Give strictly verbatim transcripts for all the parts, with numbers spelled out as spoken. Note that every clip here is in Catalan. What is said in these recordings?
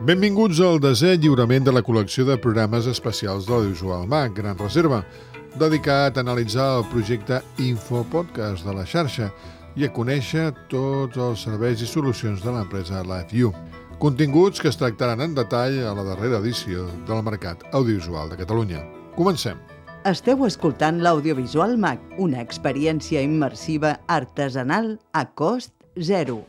Benvinguts al desè lliurament de la col·lecció de programes especials de l'Audiovisual MAC, Gran Reserva, dedicat a analitzar el projecte Infopodcast de la xarxa i a conèixer tots els serveis i solucions de l'empresa LiveU. Continguts que es tractaran en detall a la darrera edició del Mercat Audiovisual de Catalunya. Comencem. Esteu escoltant l'Audiovisual MAC, una experiència immersiva artesanal a cost zero.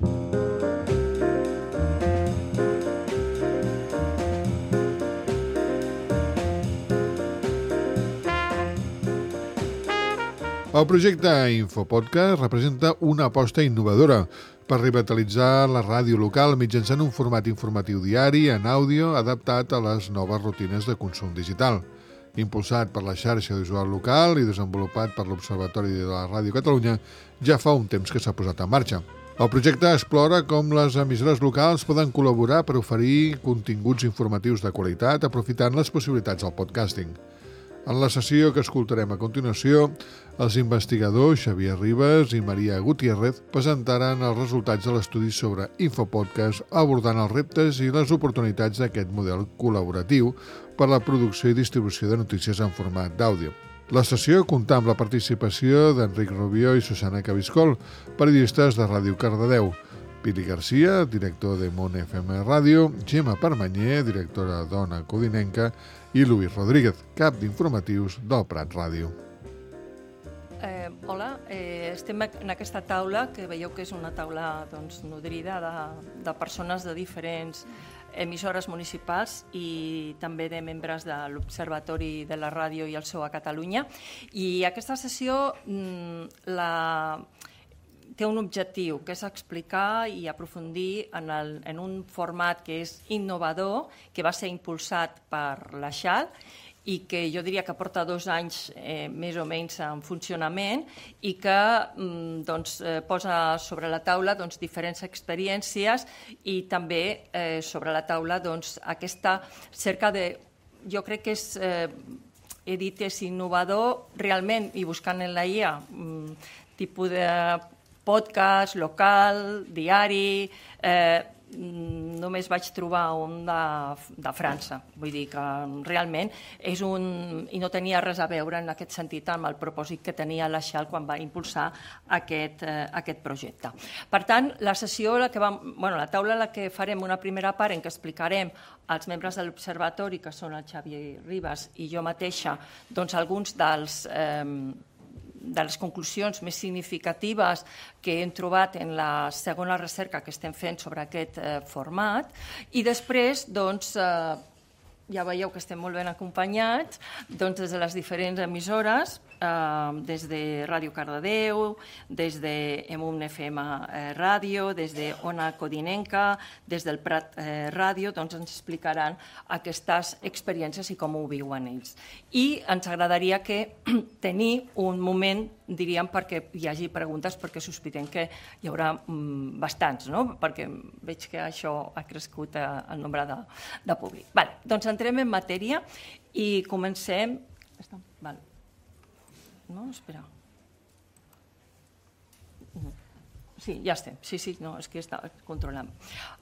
El projecte Infopodcast representa una aposta innovadora per revitalitzar la ràdio local mitjançant un format informatiu diari en àudio adaptat a les noves rutines de consum digital. Impulsat per la xarxa audiovisual local i desenvolupat per l'Observatori de la Ràdio Catalunya, ja fa un temps que s'ha posat en marxa. El projecte explora com les emissores locals poden col·laborar per oferir continguts informatius de qualitat aprofitant les possibilitats del podcasting. En la sessió que escoltarem a continuació, els investigadors Xavier Ribas i Maria Gutiérrez presentaran els resultats de l'estudi sobre Infopodcast abordant els reptes i les oportunitats d'aquest model col·laboratiu per a la producció i distribució de notícies en format d'àudio. La sessió comptà amb la participació d'Enric Rubió i Susana Cabiscol, periodistes de Ràdio Cardedeu, Pili Garcia, director de Mont F M Ràdio, Gemma Permanyer, directora d'Ona Codinenca, i Luis Rodríguez, cap d'informatius del Prat Ràdio. Eh, hola, eh, estem en aquesta taula, que veieu que és una taula doncs, nodrida de, de persones de diferents emissores municipals i també de membres de l'Observatori de la Ràdio i el seu a Catalunya. I aquesta sessió mm, la... té un objectiu, que és explicar i aprofundir en, el, en un format que és innovador, que va ser impulsat per la X A L i que jo diria que porta dos anys eh, més o menys en funcionament i que mm, doncs, eh, posa sobre la taula doncs, diferents experiències i també eh, sobre la taula doncs, aquesta cerca de... Jo crec que és... Eh, he dit és innovador realment i buscant en la I A mm, tipus de podcast, local, diari, eh, només vaig trobar un de, de França. Vull dir que realment és un... i no tenia res a veure en aquest sentit amb el propòsit que tenia la X A L quan va impulsar aquest, eh, aquest projecte. Per tant, la sessió, la, que vam, bueno, la taula en la que farem una primera part en què explicarem als membres de l'Observatori, que són el Xavier Ribas i jo mateixa, doncs alguns dels... Eh, de les conclusions més significatives que hem trobat en la segona recerca que estem fent sobre aquest eh, format i després, doncs, eh, ja veieu que estem molt ben acompanyats doncs, des de les diferents emissores, eh, des de Ràdio Cardedeu, des de Emun F M eh, Ràdio, des de Ona Codinenca, des del Prat eh, Ràdio, doncs ens explicaran aquestes experiències i com ho viuen ells. I ens agradaria que tenir un moment, diríem, perquè hi hagi preguntes, perquè sospitem que hi haurà mm, bastants, no? Perquè veig que això ha crescut eh, el nombre de, de públic. Vale, doncs entrem en matèria i comencem... Vale. No, espera. Sí, ja estem. Sí, sí, no, és que està controlant.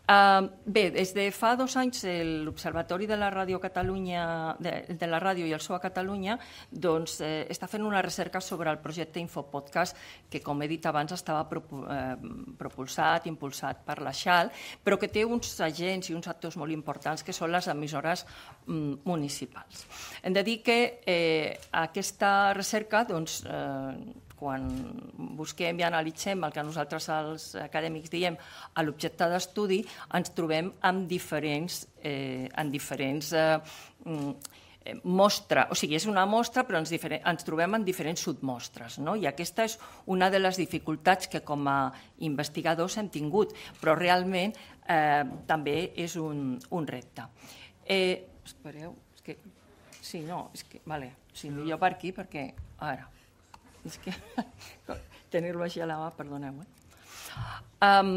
Uh, bé, des de fa dos anys l'Observatori de la Ràdio Catalunya, de, de la Ràdio i el seu a Catalunya, doncs eh, està fent una recerca sobre el projecte Infopodcast, que com he dit abans estava propu eh, propulsat, impulsat per la X A L, però que té uns agents i uns actors molt importants que són les emissores mm, municipals. Hem de dir que eh, aquesta recerca, doncs, eh, quan busquem i analitzem el que nosaltres els acadèmics diem a l'objecte d'estudi, ens trobem amb diferents, eh, en diferents eh, mostres. O sigui, és una mostra, però ens, ens trobem en diferents submostres. No? I aquesta és una de les dificultats que com a investigadors hem tingut, però realment eh, també és un, un repte. Eh, espereu, és que... Sí, no, és que... Vale, sí, millor per aquí, perquè... Ara... És que tenir-lo així a la mà, perdoneu. Eh? Um,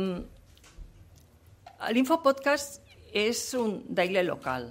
L'Infopodcast és un daily local.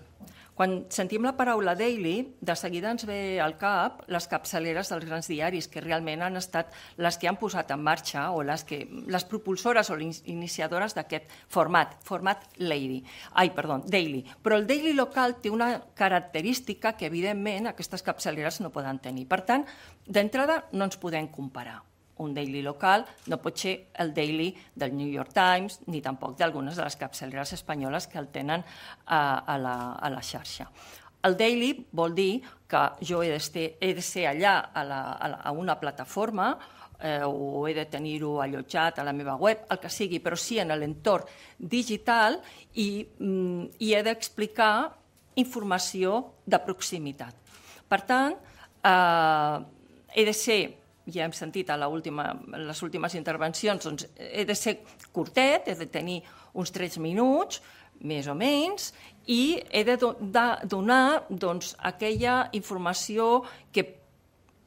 Quan sentim la paraula daily, de seguida ens ve al cap les capçaleres dels grans diaris, que realment han estat les que han posat en marxa o les, que, les propulsores o les iniciadores d'aquest format, format lady, ai, perdó, daily. Però el daily local té una característica que, evidentment, aquestes capçaleres no poden tenir. Per tant, d'entrada, no ens podem comparar. Un daily local no pot ser el daily del New York Times ni tampoc d'algunes de les capçaleres espanyoles que el tenen a, a, la, a la xarxa. El daily vol dir que jo he de ser, he de ser allà a, la, a, la, a una plataforma eh, o he de tenir-ho allotjat a la meva web, el que sigui, però sí en l'entorn digital i, mm, i he d'explicar informació de proximitat. Per tant, eh, he de ser, ja hem sentit a última, en les últimes intervencions, doncs he de ser curtet, he de tenir uns tres minuts, més o menys, i he de, do, de donar doncs, aquella informació que,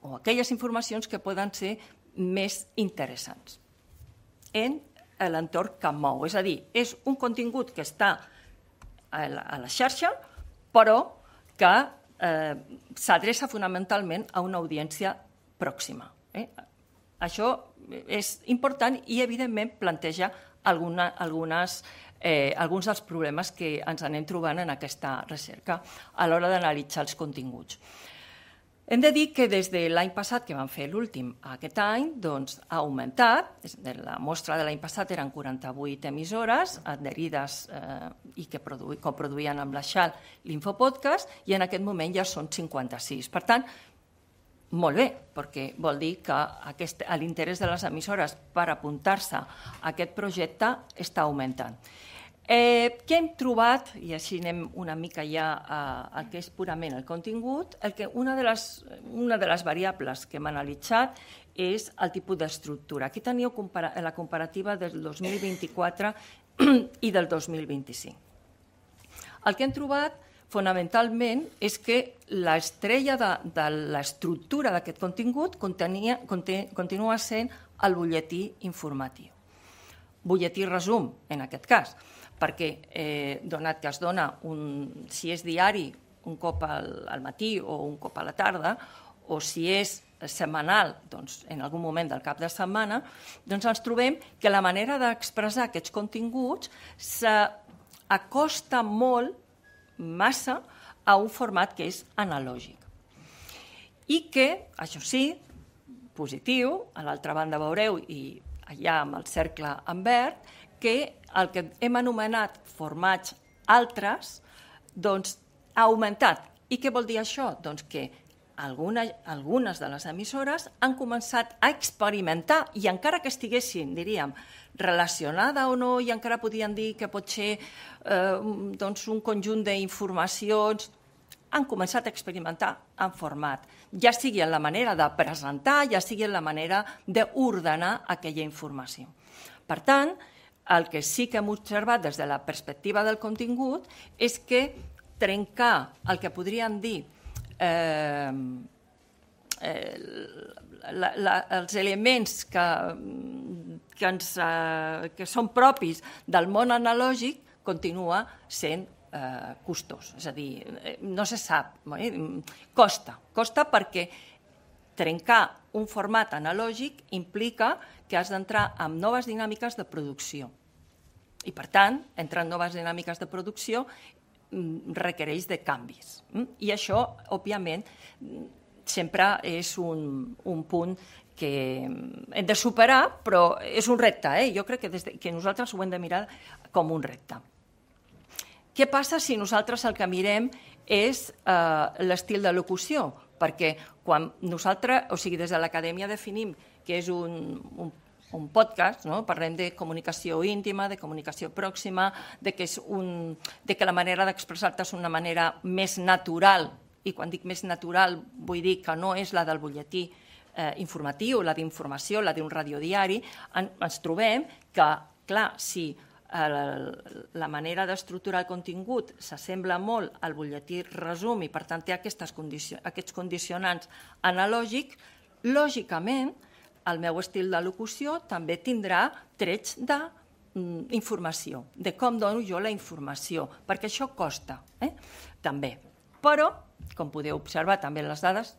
o aquelles informacions que poden ser més interessants en l'entorn que em mou. És a dir, és un contingut que està a la, a la xarxa, però que eh, s'adreça fonamentalment a una audiència pròxima. Eh? Això és important i, evidentment, planteja alguna, algunes, eh, alguns dels problemes que ens anem trobant en aquesta recerca a l'hora d'analitzar els continguts. Hem de dir que des de l'any passat, que vam fer l'últim aquest any, doncs, ha augmentat. La mostra de l'any passat eren quaranta-vuit emissores adherides eh, i que produ coproduïen amb la Xal l'Infopodcast, i en aquest moment ja són cinquanta-sis. Per tant, molt bé, perquè vol dir que aquest, l'interès de les emissores per apuntar-se a aquest projecte està augmentant. Eh, què hem trobat, i així anem una mica ja a, a què és purament el contingut, el que una, de les, una de les variables que hem analitzat és el tipus d'estructura. Aquí teniu compara la comparativa del dos mil vint-i-quatre i del dos mil vint-i-cinc. El que hem trobat fonamentalment és que l'estrella de, de l'estructura d'aquest contingut contenia, conté, continua sent el butlletí informatiu. Butlletí resum, en aquest cas, perquè eh, donat que es dona, un, si és diari, un cop al, al matí o un cop a la tarda, o si és setmanal, doncs, en algun moment del cap de setmana, doncs ens trobem que la manera d'expressar aquests continguts s'acosta molt massa a un format que és analògic. I que, això sí, positiu, a l'altra banda veureu, i allà amb el cercle en verd, que el que hem anomenat formats altres, doncs ha augmentat. I què vol dir això? Doncs que algunes, algunes de les emissores han començat a experimentar, i encara que estiguessin, diríem, relacionada o no, i encara podien dir que pot ser eh, doncs un conjunt d'informacions, han començat a experimentar en format, ja sigui en la manera de presentar, ja sigui en la manera d'ordenar aquella informació. Per tant, el que sí que hem observat des de la perspectiva del contingut és que trencar el que podríem dir eh, eh, la, la, els elements que, que, ens, eh, que són propis del món analògic continua sent eh, costós. És a dir, no se sap, eh? costa. Costa perquè trencar un format analògic implica que has d'entrar en noves dinàmiques de producció. I, per tant, entrar en noves dinàmiques de producció requereix de canvis. I això, òbviament, sempre és un, un punt que hem de superar, però és un repte. Eh? Jo crec que, des de, que nosaltres ho hem de mirar com un repte. Què passa si nosaltres el que mirem és eh, l'estil de locució? Perquè quan nosaltres, o sigui, des de l'acadèmia definim que és un, un, un podcast, no? Parlem de comunicació íntima, de comunicació pròxima, de que, és un, de que la manera d'expressar-te és una manera més natural, i quan dic més natural vull dir que no és la del butlletí eh, informatiu, la d'informació, la d'un radiodiari, en, ens trobem que, clar, si la manera d'estructurar el contingut s'assembla molt al butlletí resum i, per tant, té aquestes condicio aquests condicionants analògics, lògicament, el meu estil de locució també tindrà trets de mm, informació, de com dono jo la informació, perquè això costa, eh? també. Però, com podeu observar també en les dades,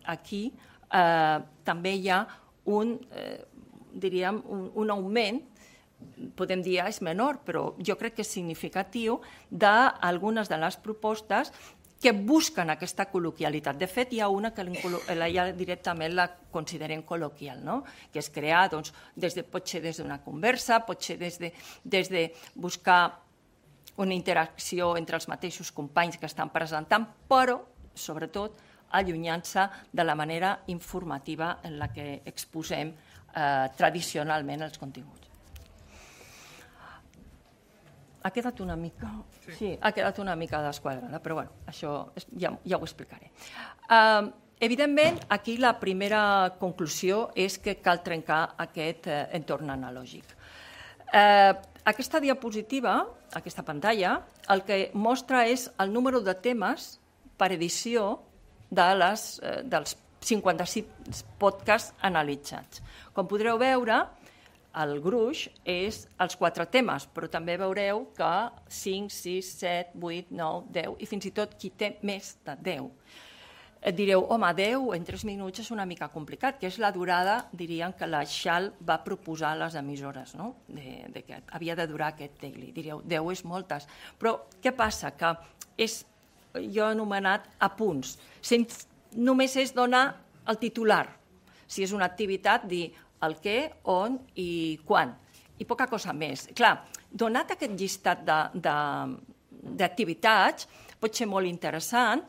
aquí eh, també hi ha un, eh, diríem, un, un augment, podem dir és menor, però jo crec que és significatiu, d'algunes de les propostes que busquen aquesta col·loquialitat. De fet, hi ha una que ja directament la considerem col·loquial, no? Que és crear, doncs, des de, pot ser des d'una conversa, pot ser des de, des de buscar una interacció entre els mateixos companys que estan presentant, però, sobretot, allunyant-se de la manera informativa en la que exposem eh, tradicionalment els continguts. Ha quedat una mica... Sí, sí ha quedat una mica desquadrada, però bueno, això ja, ja ho explicaré. Uh, evidentment, aquí la primera conclusió és que cal trencar aquest eh, entorn analògic. Eh, aquesta diapositiva, aquesta pantalla, el que mostra és el número de temes per edició de les, eh, dels cinquanta-sis podcasts analitzats. Com podreu veure, el gruix és els quatre temes, però també veureu que cinc, sis, set, vuit, nou, deu i fins i tot qui té més de deu. Et direu, home, deu en tres minuts és una mica complicat, que és la durada, dirien, que la Xal va proposar a les emissores, no? de, de que havia de durar aquest daily. Direu, deu és moltes. Però què passa? Que és, jo he anomenat apunts. Només és donar el titular. Si és una activitat, dir el què, on i quan. I poca cosa més. Clar, donat aquest llistat d'activitats, pot ser molt interessant,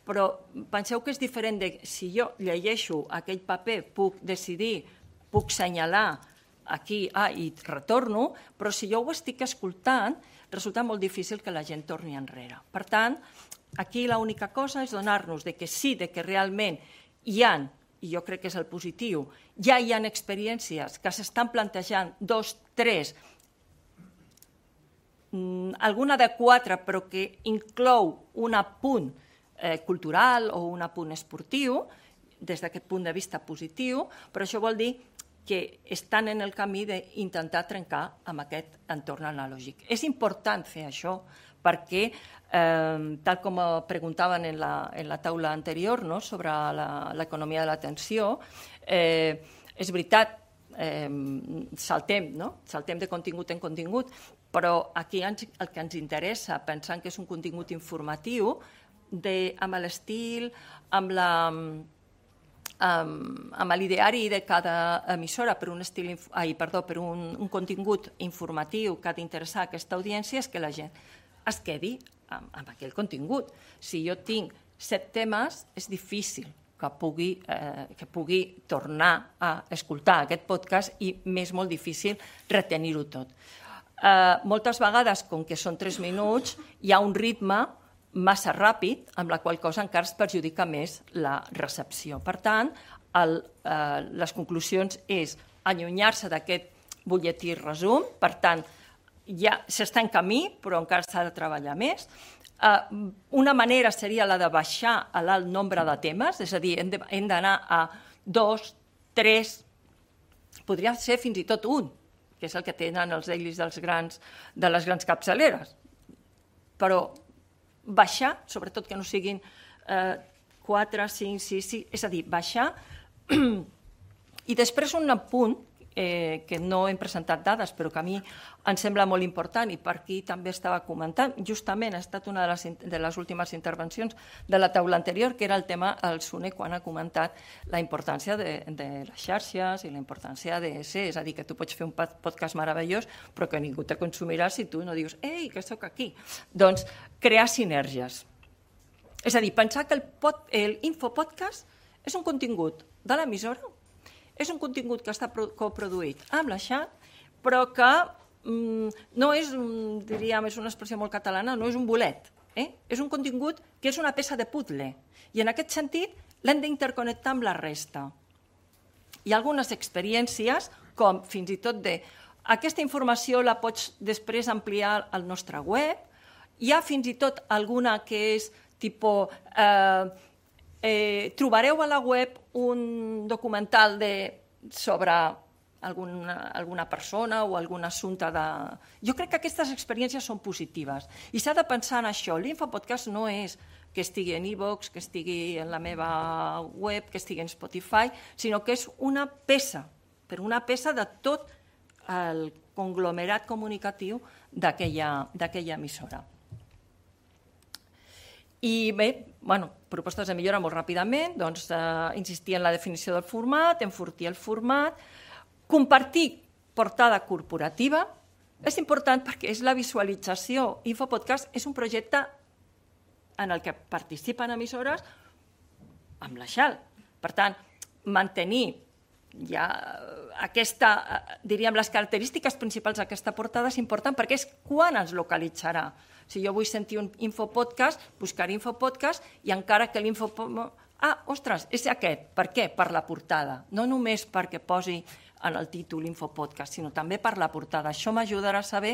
però penseu que és diferent de si jo llegeixo aquell paper, puc decidir, puc assenyalar aquí ah, i retorno, però si jo ho estic escoltant, resulta molt difícil que la gent torni enrere. Per tant, aquí l'única cosa és donar-nos de que sí, de que realment hi ha, i jo crec que és el positiu, ja hi ha experiències que s'estan plantejant dos, tres, alguna de quatre, però que inclou un apunt eh, cultural o un apunt esportiu, des d'aquest punt de vista positiu, però això vol dir que estan en el camí d'intentar trencar amb aquest entorn analògic. És important fer això perquè, eh, tal com preguntaven en la, en la taula anterior, no?, sobre l'economia de l'atenció, eh, és veritat, eh, saltem, no? saltem de contingut en contingut, però aquí ens, el que ens interessa, pensant que és un contingut informatiu, de, amb l'estil, amb la... Um, amb l'ideari de cada emissora per un, estil, ai, perdó, per un, un contingut informatiu que ha d'interessar aquesta audiència és que la gent es quedi amb, amb aquell contingut. Si jo tinc set temes, és difícil que pugui, eh, que pugui tornar a escoltar aquest podcast i m'és molt difícil retenir-ho tot. Eh, moltes vegades, com que són tres minuts, hi ha un ritme massa ràpid, amb la qual cosa encara es perjudica més la recepció. Per tant, el, eh, les conclusions és allunyar-se d'aquest butlletí resum, per tant, ja s'està en camí, però encara s'ha de treballar més. Eh, una manera seria la de baixar a l'alt nombre de temes, és a dir, hem d'anar a dos, tres, podria ser fins i tot un, que és el que tenen els dailies dels grans, de les grans capçaleres. Però baixar, sobretot que no siguin eh, quatre, cinc, sis, sis, és a dir, baixar. I després un apunt, eh, que no hem presentat dades, però que a mi em sembla molt important, i per aquí també estava comentant, justament ha estat una de les, de les últimes intervencions de la taula anterior, que era el tema, el Sune, quan ha comentat la importància de, de les xarxes i la importància de ser, és a dir, que tu pots fer un podcast meravellós, però que ningú te consumirà si tu no dius, ei, que sóc aquí. Doncs crear sinergies. És a dir, pensar que el, pod, el infopodcast és un contingut de l'emissora, és un contingut que està coproduït amb la Xat, però que mm, no és, diríem, és una expressió molt catalana, no és un bolet. Eh? És un contingut que és una peça de puzzle. I en aquest sentit l'hem d'interconnectar amb la resta. Hi ha algunes experiències, com fins i tot de... Aquesta informació la pots després ampliar al nostre web. Hi ha fins i tot alguna que és tipus... Eh, Eh, trobareu a la web un documental de, sobre alguna, alguna persona o algun assumpte de... Jo crec que aquestes experiències són positives i s'ha de pensar en això. L'infopodcast no és que estigui en iVoox, que estigui en la meva web, que estigui en Spotify, sinó que és una peça, però una peça de tot el conglomerat comunicatiu d'aquella emissora. I bé, bueno, propostes de millora molt ràpidament, doncs eh, insistir en la definició del format, enfortir el format, compartir portada corporativa, és important perquè és la visualització. Infopodcast és un projecte en el que participen emissores amb la X A L. Per tant, mantenir ja aquesta, diríem, les característiques principals d'aquesta portada és important perquè és quan ens localitzarà. Si jo vull sentir un infopodcast, buscaré infopodcast i encara que l'infopodcast... Ah, ostres, és aquest. Per què? Per la portada. No només perquè posi en el títol infopodcast, sinó també per la portada. Això m'ajudarà a saber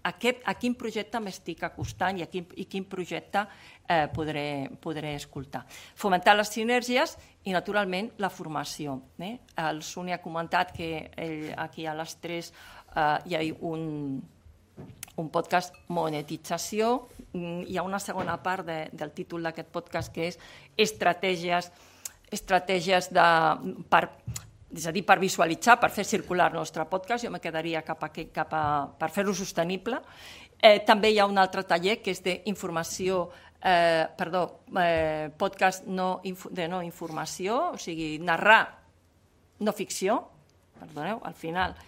a, què, a quin projecte m'estic acostant i a quin, i quin projecte eh, podré, podré escoltar. Fomentar les sinergies i, naturalment, la formació. Eh? El Suni ha comentat que ell, aquí a les tres eh, hi ha un... un podcast monetització. Hi ha una segona part de, del títol d'aquest podcast que és estratègies, estratègies de, per, és a dir, per visualitzar, per fer circular el nostre podcast. Jo me quedaria cap a, cap a, per fer-ho sostenible. Eh, també hi ha un altre taller que és d'informació, eh, perdó, eh, podcast no, de no informació, o sigui, narrar no ficció, perdoneu, al final...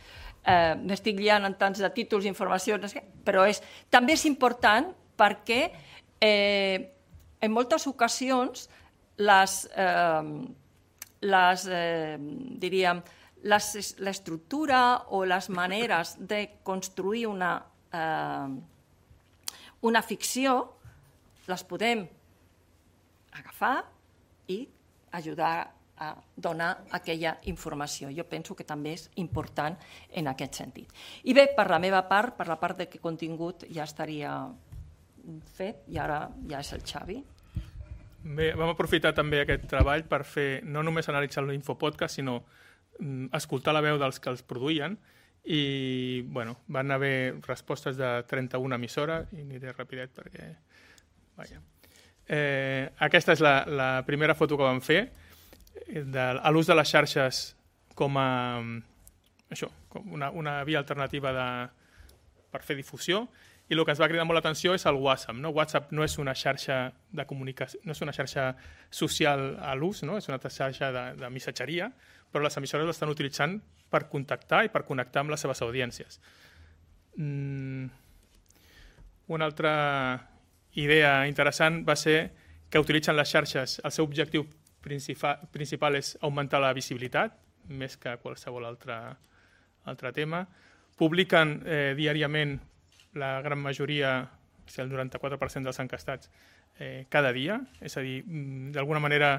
Eh, m'estic liant en tants de títols, informacions, però és, també és important perquè eh, en moltes ocasions les, eh, les eh, diríem, l'estructura o les maneres de construir una, eh, una ficció les podem agafar i ajudar a donar aquella informació. Jo penso que també és important en aquest sentit. I bé, per la meva part, per la part de que contingut ja estaria fet i ara ja és el Xavi. Bé, vam aprofitar també aquest treball per fer no només analitzar l'infopodcast, sinó mm, escoltar la veu dels que els produïen i bueno, van haver respostes de trenta-una emissores i aniré rapidet perquè... Vaja. Eh, aquesta és la, la primera foto que vam fer de, a l'ús de les xarxes com a això, com una, una via alternativa de, per fer difusió, i el que ens va cridar molt l'atenció és el WhatsApp. No? WhatsApp no és una xarxa de comunicació, no és una xarxa social a l'ús, no? És una xarxa de, de missatgeria, però les emissores l'estan utilitzant per contactar i per connectar amb les seves audiències. Mm. Una altra idea interessant va ser que utilitzen les xarxes, el seu objectiu principal, principal és augmentar la visibilitat, més que qualsevol altre, altre tema. Publiquen eh, diàriament la gran majoria, o sigui, el noranta-quatre per cent dels encastats, eh, cada dia. És a dir, d'alguna manera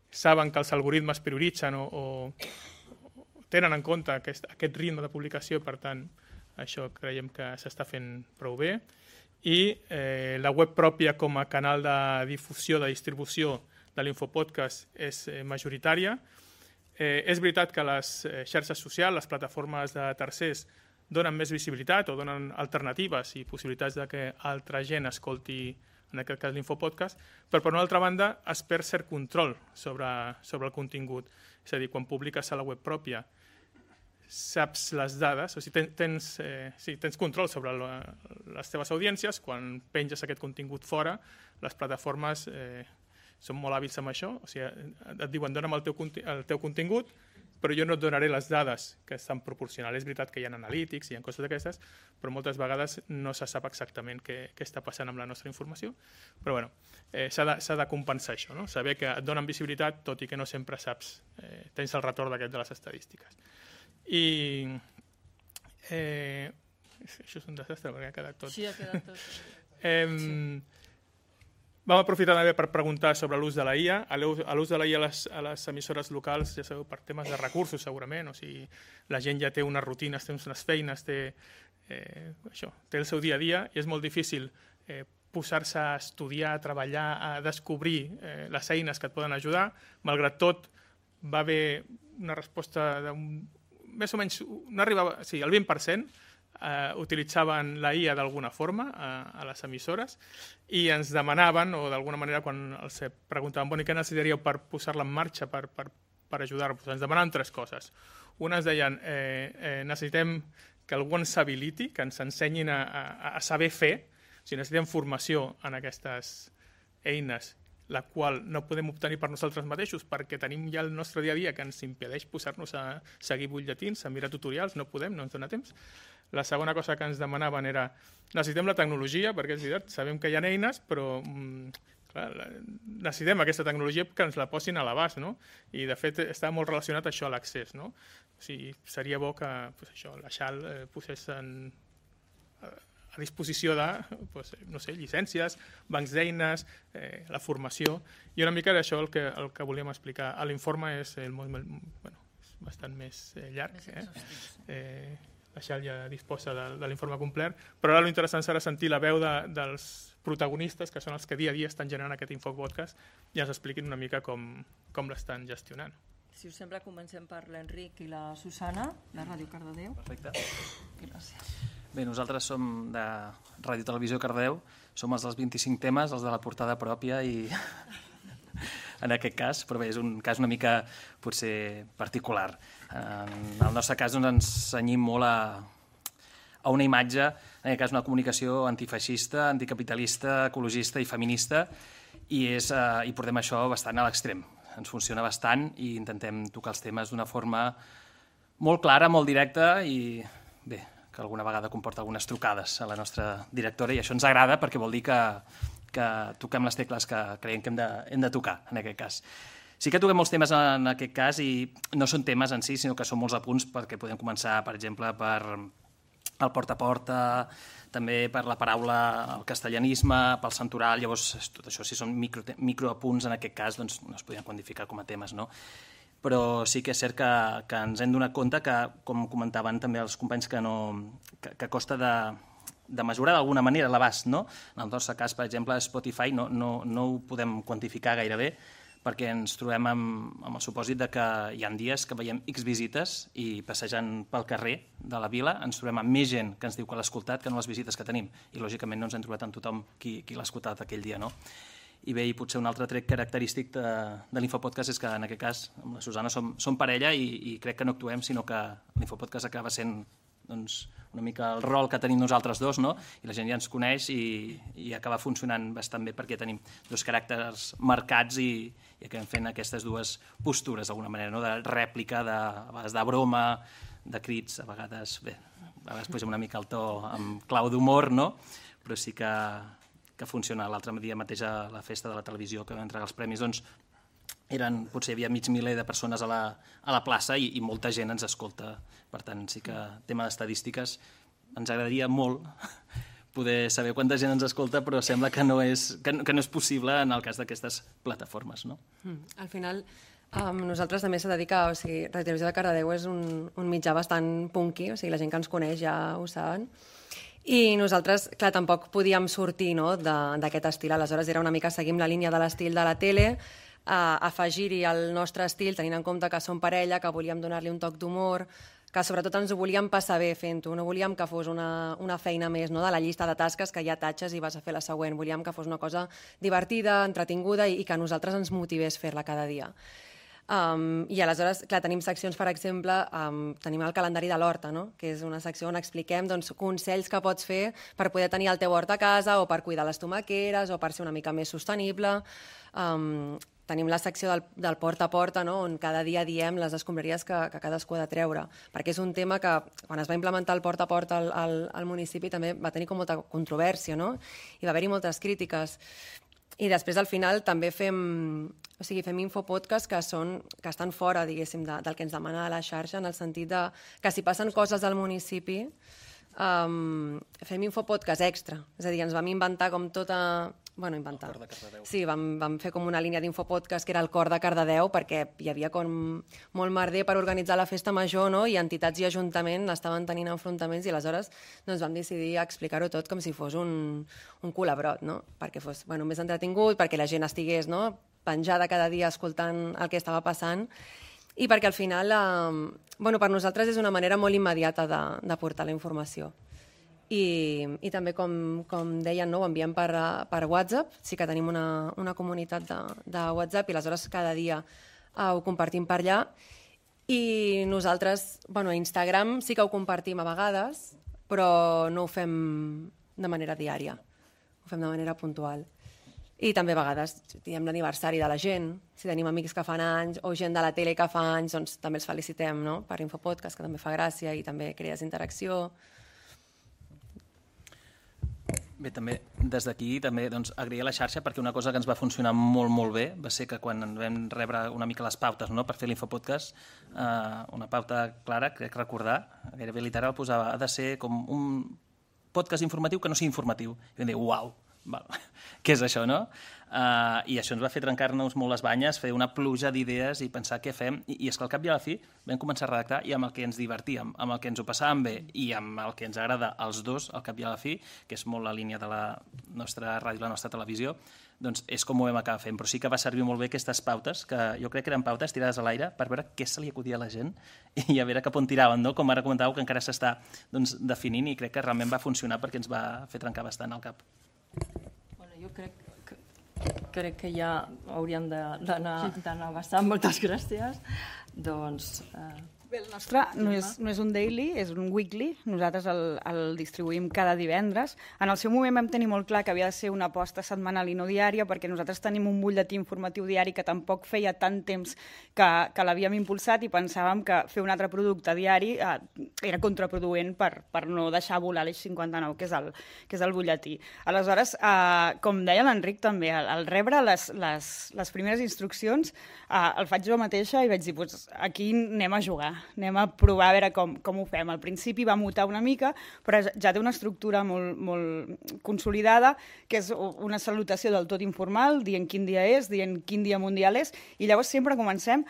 saben que els algoritmes prioritzen o, o tenen en compte aquest, aquest ritme de publicació, per tant, això creiem que s'està fent prou bé. I eh, la web pròpia com a canal de difusió, de distribució de l'infopodcast és eh, majoritària. Eh, és veritat que les eh, xarxes socials, les plataformes de tercers, donen més visibilitat o donen alternatives i possibilitats de que altra gent escolti, en aquest cas l'infopodcast, però per una altra banda es perd cert control sobre, sobre el contingut. És a dir, quan publiques a la web pròpia saps les dades, o sigui, tens, eh, sí, tens control sobre la, les teves audiències. Quan penges aquest contingut fora, les plataformes eh, són molt hàbils amb això, o sigui, et diuen dona'm el teu, el teu contingut, però jo no et donaré les dades que estan proporcionant. És veritat que hi ha analítics, hi ha coses d'aquestes, però moltes vegades no se sap exactament què, què està passant amb la nostra informació. Però bueno, eh, s'ha de, s'ha de compensar això, no? Saber que et donen visibilitat, tot i que no sempre saps, eh, tens el retorn d'aquest de les estadístiques. I eh, això és un desastre perquè ha quedat tot. Sí, ha quedat tot. eh, sí. Vam aprofitar també per preguntar sobre l'ús de la I A. A l'ús de la I A a les, a les emissores locals, ja sabeu, per temes de recursos segurament, o sigui, la gent ja té unes rutines, té unes feines, té, eh, això, té el seu dia a dia i és molt difícil eh, posar-se a estudiar, a treballar, a descobrir eh, les eines que et poden ajudar. Malgrat tot, va haver una resposta d'un més o menys, no arribava, sí, el vint per cent eh, utilitzaven la I A d'alguna forma a, a les emissores i ens demanaven, o d'alguna manera quan els preguntaven, bueno, i què necessitaríeu per posar-la en marxa, per, per, per ajudar-vos? Ens demanaven tres coses. Una es deien, eh, eh, necessitem que algú ens habiliti, que ens ensenyin a, a, a saber fer, o sigui, necessitem formació en aquestes eines, la qual no podem obtenir per nosaltres mateixos perquè tenim ja el nostre dia a dia que ens impedeix posar-nos a seguir butlletins, a mirar tutorials, no podem, no ens dona temps. La segona cosa que ens demanaven era necessitem la tecnologia, perquè és veritat, sabem que hi ha eines, però mm, clar, necessitem aquesta tecnologia que ens la posin a l'abast, no? I de fet està molt relacionat això a l'accés, no? O sigui, seria bo que pues, això, la Xal eh, posés en, a, a disposició de pues, no sé, llicències, bancs d'eines, eh, la formació, i una mica d'això el que, el que volíem explicar. L'informe és, el, bueno, és bastant més eh, llarg, eh? Eh, la Xal ja disposa de, de l'informe complet, però ara l'interessant serà sentir la veu de, dels protagonistes, que són els que dia a dia estan generant aquest infopodcast, i ens expliquin una mica com, com l'estan gestionant. Si us sembla, comencem per l'Enric i la Susana, de Ràdio Cardedeu. Perfecte. Gràcies. Bé, nosaltres som de Ràdio Televisió Cardedeu, som els dels vint-i-cinc temes, els de la portada pròpia i en aquest cas, però bé, és un cas una mica potser particular. En el nostre cas doncs, ens cenyim molt a, a una imatge, en aquest cas una comunicació antifeixista, anticapitalista, ecologista i feminista, i, és, eh, i portem això bastant a l'extrem. Ens funciona bastant i intentem tocar els temes d'una forma molt clara, molt directa i bé, que alguna vegada comporta algunes trucades a la nostra directora i això ens agrada perquè vol dir que, que toquem les tecles que creiem que hem de, hem de tocar en aquest cas. Sí que toquem molts temes en aquest cas i no són temes en si, sinó que són molts apunts perquè podem començar, per exemple, per el porta a porta, també per la paraula, el castellanisme, pel santoral, llavors tot això si són micro, microapunts en aquest cas doncs no es podien quantificar com a temes, no? Però sí que és cert que, que ens hem donat compte que, com comentaven també els companys, que, no, que, que costa de, de mesurar d'alguna manera l'abast, no? En el nostre cas, per exemple, Spotify no, no, no ho podem quantificar gairebé perquè ens trobem amb, amb el supòsit de que hi ha dies que veiem X visites i passejant pel carrer de la vila ens trobem amb més gent que ens diu que l'ha escoltat que no les visites que tenim i lògicament no ens hem trobat amb tothom qui, qui l'ha escoltat aquell dia, no? I bé, i potser un altre tret característic de, de l'Infopodcast és que en aquest cas amb la Susana som, som parella i, i crec que no actuem, sinó que l'Infopodcast acaba sent doncs, una mica el rol que tenim nosaltres dos, no? I la gent ja ens coneix i, i acaba funcionant bastant bé perquè tenim dos caràcters marcats i, i acabem fent aquestes dues postures d'alguna manera, no? De rèplica, de, a vegades de broma, de crits, a vegades, bé, a vegades posem una mica el to amb clau d'humor, no? Però sí que, que funciona. L'altre dia mateix a la festa de la televisió que vam entregar els premis, doncs eren, potser hi havia mig miler de persones a la, a la plaça i, i molta gent ens escolta. Per tant, sí que tema d'estadístiques ens agradaria molt poder saber quanta gent ens escolta, però sembla que no és, que no, que no és possible en el cas d'aquestes plataformes, no? Mm. Al final, um, nosaltres també s'ha de dir que o sigui, Radio Televisió de Cardedeu és un, un mitjà bastant punky, o sigui, la gent que ens coneix ja ho saben, i nosaltres, clar, tampoc podíem sortir, no, d'aquest estil. Aleshores era una mica, seguim la línia de l'estil de la tele, a afegir-hi el nostre estil, tenint en compte que som parella, que volíem donar-li un toc d'humor, que sobretot ens ho volíem passar bé fent-ho, no volíem que fos una, una feina més, no?, de la llista de tasques que ja tatxes i vas a fer la següent, volíem que fos una cosa divertida, entretinguda i, i que a nosaltres ens motivés fer-la cada dia. Um, I aleshores, clar, tenim seccions, per exemple, um, tenim el calendari de l'horta, no?, que és una secció on expliquem doncs, consells que pots fer per poder tenir el teu hort a casa o per cuidar les tomaqueres o per ser una mica més sostenible. Um, Tenim la secció del, del porta a porta, no?, on cada dia diem les escombraries que, que cadascú ha de treure, perquè és un tema que, quan es va implementar el porta a porta al, al, al municipi, també va tenir com molta controvèrsia, no?, i va haver-hi moltes crítiques. I després, al final, també fem, o sigui, fem infopodcasts que, són, que estan fora, diguéssim, de, del que ens demana la xarxa, en el sentit de que si passen coses al municipi, um, fem infopodcast extra. És a dir, ens vam inventar com tota... Bueno, inventar. El cor de Cardedeu. Sí, vam, vam fer com una línia d'infopodcast que era el cor de Cardedeu, perquè hi havia com molt merder per organitzar la festa major, no?, i entitats i ajuntament estaven tenint enfrontaments i aleshores doncs, vam decidir explicar-ho tot com si fos un, un culabrot, no?, perquè fos bueno, més entretingut, perquè la gent estigués, no?, penjada cada dia escoltant el que estava passant. i perquè al final, eh, bueno, per nosaltres és una manera molt immediata de, de portar la informació. I, i també, com, com deien, no, ho enviem per, per WhatsApp, sí que tenim una, una comunitat de, de WhatsApp i aleshores cada dia uh, ho compartim per allà. I nosaltres, bueno, a Instagram sí que ho compartim a vegades, però no ho fem de manera diària, ho fem de manera puntual. I també a vegades diem l'aniversari de la gent, si tenim amics que fan anys o gent de la tele que fa anys, doncs també els felicitem, no? Per Infopodcast, que també fa gràcia i també crees interacció. Bé, també des d'aquí també doncs, agrair a la xarxa perquè una cosa que ens va funcionar molt, molt bé va ser que quan vam rebre una mica les pautes, no?, per fer l'Infopodcast, eh, una pauta clara, crec recordar, gairebé literal, posava, ha de ser com un podcast informatiu que no sigui informatiu. I vam dir, uau, val. Què és això, no? Uh, I això ens va fer trencar-nos molt les banyes, fer una pluja d'idees i pensar què fem. I, i és que al cap i a la fi vam començar a redactar i amb el que ens divertíem, amb el que ens ho passàvem bé i amb el que ens agrada als dos, al cap i a la fi, que és molt la línia de la nostra ràdio i la nostra televisió, doncs és com ho vam acabar fent. Però sí que va servir molt bé aquestes pautes, que jo crec que eren pautes tirades a l'aire per veure què se li acudia a la gent i a veure cap on tiraven, no? Com ara comentàveu, que encara s'està doncs, definint i crec que realment va funcionar perquè ens va fer trencar bastant el cap. Bueno, jo crec que, crec que ja hauríem d'anar bastant. Moltes gràcies. Doncs... Eh... Bé, el nostre no és, no és un daily, és un weekly. Nosaltres el, el distribuïm cada divendres. En el seu moment vam tenir molt clar que havia de ser una aposta setmanal i no diària, perquè nosaltres tenim un butlletí informatiu diari que tampoc feia tant temps que, que l'havíem impulsat i pensàvem que fer un altre producte diari eh, era contraproduent per, per no deixar volar l'eix cinquanta-nou, que és el, que és el butlletí. Aleshores, eh, com deia l'Enric també, al, al rebre les, les, les primeres instruccions, eh, el faig jo mateixa i vaig dir, pues, aquí anem a jugar. Anem a provar a veure com, com ho fem. Al principi va mutar una mica, però ja té una estructura molt, molt consolidada, que és una salutació del tot informal, dient quin dia és, dient quin dia mundial és, i llavors sempre comencem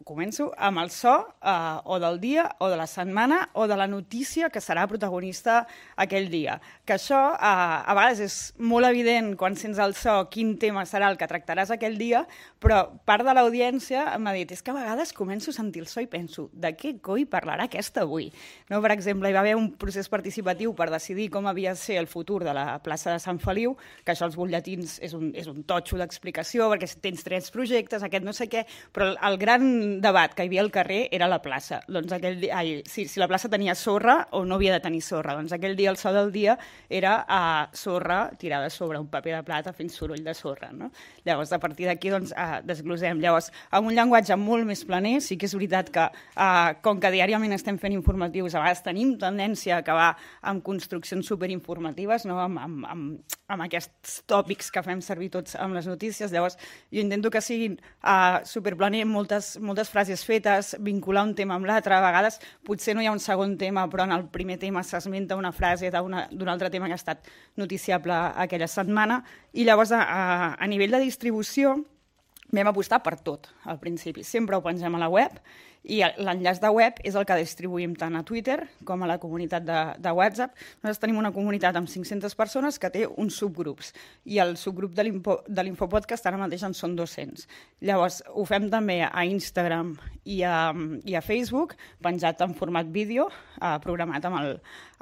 començo amb el so eh, o del dia o de la setmana o de la notícia que serà protagonista aquell dia. Que això eh, a vegades és molt evident quan sents el so quin tema serà el que tractaràs aquell dia, però part de l'audiència m'ha dit és que a vegades començo a sentir el so i penso de què coi parlarà aquesta avui? No, per exemple, hi va haver un procés participatiu per decidir com havia de ser el futur de la plaça de Sant Feliu, que això els butlletins és un, és un totxo d'explicació perquè tens tres projectes, aquest no sé què, però el, el gran debat que hi havia al carrer era la plaça. Doncs aquell dia, ai, si, si la plaça tenia sorra o no havia de tenir sorra. Doncs aquell dia el so del dia era uh, sorra tirada sobre un paper de plata fent soroll de sorra. No? Llavors, a partir d'aquí, doncs, uh, desglosem. Llavors, amb un llenguatge molt més planer, sí que és veritat que, uh, com que diàriament estem fent informatius, a vegades tenim tendència a acabar amb construccions superinformatives, no? amb, amb, amb, amb aquests tòpics que fem servir tots amb les notícies. Llavors, jo intento que siguin uh, superplaner, moltes, moltes moltes frases fetes, vincular un tema amb l'altre. A vegades potser no hi ha un segon tema, però en el primer tema s'esmenta una frase d'un altre tema que ha estat noticiable aquella setmana. I llavors, a, a nivell de distribució, vam apostar per tot al principi. Sempre ho pengem a la web i l'enllaç de web és el que distribuïm tant a Twitter com a la comunitat de, de WhatsApp. Nosaltres tenim una comunitat amb cinc-centes persones que té uns subgrups i el subgrup de l'Infopodcast ara mateix en són dos-cents. Llavors, ho fem també a Instagram i a, i a Facebook, penjat en format vídeo, eh, programat amb el,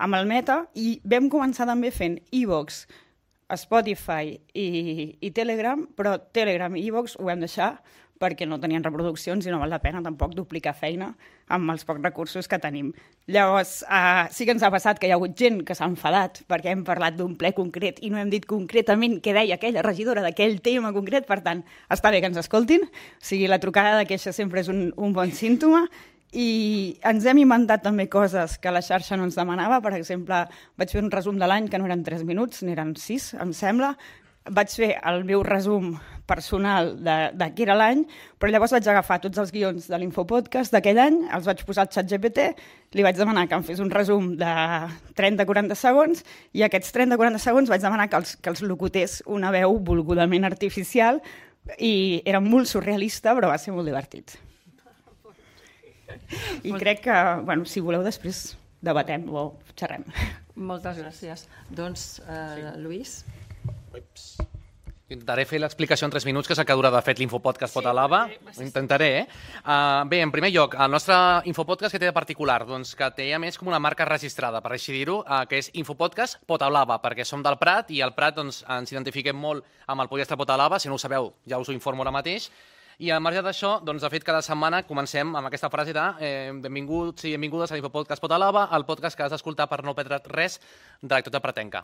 amb el Meta, i vam començar també fent iVoox, Spotify i, i Telegram, però Telegram i iVoox ho vam deixar perquè no tenien reproduccions i no val la pena tampoc duplicar feina amb els pocs recursos que tenim. Llavors, eh, sí que ens ha passat que hi ha hagut gent que s'ha enfadat perquè hem parlat d'un ple concret i no hem dit concretament què deia aquella regidora d'aquell tema concret, per tant, està bé que ens escoltin, o sigui, la trucada de queixa sempre és un, un bon símptoma. I ens hem inventat també coses que la xarxa no ens demanava. Per exemple, vaig fer un resum de l'any que no eren tres minuts, n'eren sis, em sembla. Vaig fer el meu resum personal de, de què era l'any, però llavors vaig agafar tots els guions de l'Infopodcast d'aquell any, els vaig posar al ChatGPT, li vaig demanar que em fes un resum de trenta a quaranta segons i aquests trenta a quaranta segons vaig demanar que els, que els locutés una veu volgudament artificial i era molt surrealista, però va ser molt divertit. I crec que, bueno, si voleu després debatem o xerrem. Moltes gràcies. Doncs, eh, Lluís? Ups. Intentaré fer l'explicació en tres minuts, que és el que dura de fet l'Infopodcast Potalaba. Ho intentaré, eh? Uh, bé, en primer lloc, el nostre Infopodcast que té de particular? Doncs que té a més com una marca registrada, per així dir-ho, uh, que és Infopodcast Potalaba, perquè som del Prat i al Prat doncs, ens identifiquem molt amb el pollastre Potalaba. Si no ho sabeu, ja us ho informo ara mateix. I al marge d'això, doncs, de fet, cada setmana comencem amb aquesta frase de eh, benvinguts i benvingudes a l'Infopodcast Potalaba, el podcast que has d'escoltar per no perdre res de l'actualitat pratenca.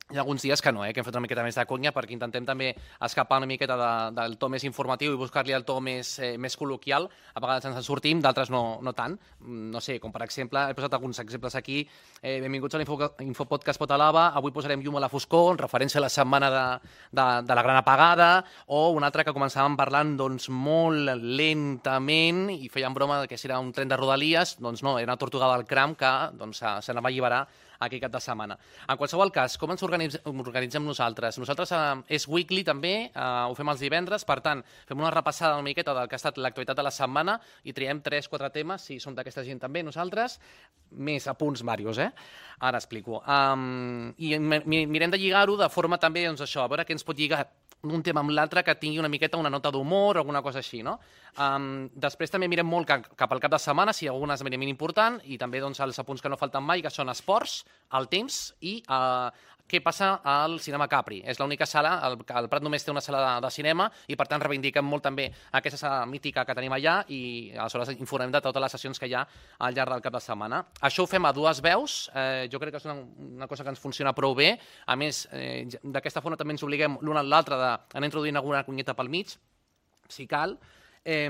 Hi ha alguns dies que no, eh, que hem fet una miqueta més de conya perquè intentem també escapar una miqueta de, del to més informatiu i buscar-li el to més, eh, més col·loquial. A vegades ens en sortim, d'altres no, no tant. No sé, com per exemple, he posat alguns exemples aquí. Eh, benvinguts a l'Infopodcast Potalaba. Avui posarem llum a la foscor, en referència a la setmana de, de, de la gran apagada, o una altra que començàvem parlant doncs, molt lentament i feien broma que si era un tren de Rodalies, doncs no, era una tortuga del cram que doncs, s'anava a alliberar aquell cap de setmana. En qualsevol cas, com ens organitzem nosaltres? Nosaltres eh, és weekly també, eh, ho fem els divendres, per tant, fem una repassada una miqueta del que ha estat l'actualitat de la setmana i triem tres quatre temes, si som d'aquesta gent també, nosaltres, més apunts varios, eh? Ara explico. Um, I mirem de lligar-ho de forma també, doncs això, a veure què ens pot lligar un tema amb l'altre que tingui una miqueta una nota d'humor o alguna cosa així, no? Um, després també mirem molt cap, cap al cap de setmana, si hi ha algun esdeveniment important, i també doncs, els apunts que no falten mai, que són esports, el temps i uh, què passa al Cinema Capri. És l'única sala, el, el Prat només té una sala de, de cinema i per tant reivindiquem molt també aquesta sala mítica que tenim allà i aleshores informem de totes les sessions que hi ha al llarg del cap de setmana. Això ho fem a dues veus, eh, jo crec que és una, una cosa que ens funciona prou bé. A més, eh, d'aquesta forma també ens obliguem l'un a l'altre d'anar introduint alguna cunyeta pel mig, si cal. Eh,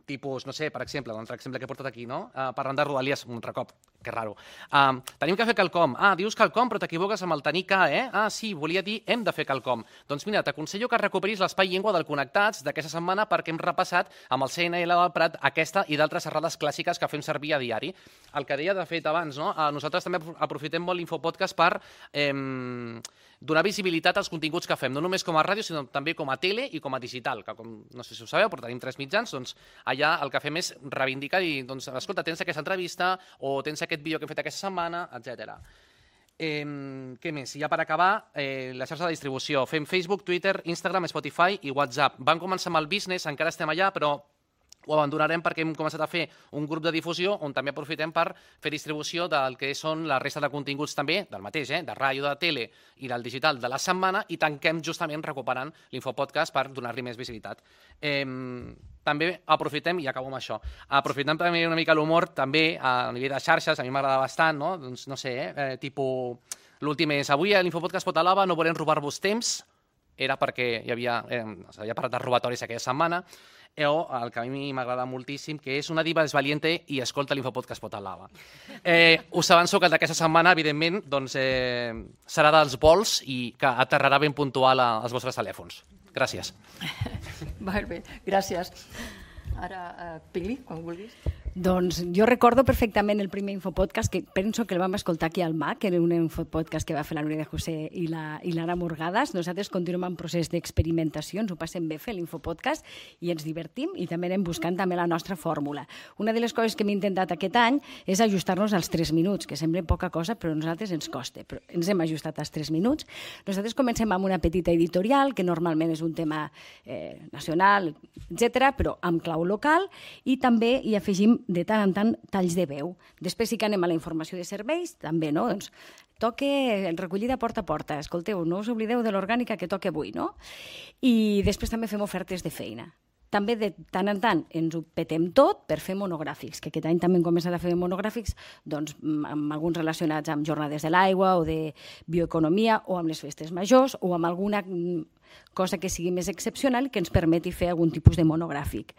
tipus, no sé, per exemple, l'altre exemple que he portat aquí, no? Uh, parlant de Rodalies, un altre cop, que raro. Uh, tenim que fer quelcom. Ah, dius quelcom, però t'equivoques amb el tenir que, eh? Ah, sí, volia dir hem de fer quelcom. Doncs mira, t'aconsello que recuperis l'espai llengua del Connectats d'aquesta setmana perquè hem repassat amb el C N L del Prat aquesta i d'altres errades clàssiques que fem servir a diari. El que deia, de fet, abans, no? Uh, nosaltres també aprofitem molt l'Infopodcast per eh, donar visibilitat als continguts que fem, no només com a ràdio, sinó també com a tele i com a digital, que com, no sé si ho sabeu, però tenim tres mitjans, doncs allà el que fem és reivindicar i, doncs, escolta, tens aquesta entrevista o tens aquest vídeo que hem fet aquesta setmana, etcètera. Eh, què més? Ja per acabar, eh, la xarxa de distribució. Fem Facebook, Twitter, Instagram, Spotify i WhatsApp. Vam començar amb el business, encara estem allà, però ho abandonarem perquè hem començat a fer un grup de difusió on també aprofitem per fer distribució del que són la resta de continguts també, del mateix, eh? de ràdio, de tele i del digital de la setmana, i tanquem justament recuperant l'Infopodcast per donar-li més visibilitat. Eh, també aprofitem, i acabo amb això, aprofitem també una mica l'humor també a nivell de xarxes, a mi m'agrada bastant, no? Doncs no sé, eh? eh tipus, l'últim és, avui a l'Infopodcast Potalaba no volem robar-vos temps, era perquè hi havia, eh, s'havia parlat de robatoris aquella setmana, o el que a mi m'agrada moltíssim, que és una diva és valiente i escolta l'Infopodcast Potalaba. Eh, us avanço que d'aquesta setmana, evidentment, doncs, eh, serà dels vols i que aterrarà ben puntual als vostres telèfons. Gràcies. Molt bé, gràcies. Ara, uh, Pili, quan vulguis. Doncs jo recordo perfectament el primer Infopodcast, que penso que el vam escoltar aquí al M A C, que era un Infopodcast que va fer la Núria de José i la, i l'Anna Morgades. Nosaltres continuem en procés d'experimentació, ens ho passem bé fer l'Infopodcast i ens divertim i també anem buscant també la nostra fórmula. Una de les coses que hem intentat aquest any és ajustar-nos als tres minuts, que sembla poca cosa, però a nosaltres ens costa. Però ens hem ajustat als tres minuts. Nosaltres comencem amb una petita editorial, que normalment és un tema eh, nacional, etcètera, però amb clau local, i també hi afegim de tant en tant talls de veu. Després sí que anem a la informació de serveis, també, no? Doncs toque recollida porta a porta. Escolteu, no us oblideu de l'orgànica que toca avui, no? I després també fem ofertes de feina. També de tant en tant ens ho petem tot per fer monogràfics, que aquest any també hem començat a fer monogràfics doncs, amb alguns relacionats amb jornades de l'aigua o de bioeconomia o amb les festes majors o amb alguna cosa que sigui més excepcional que ens permeti fer algun tipus de monogràfic.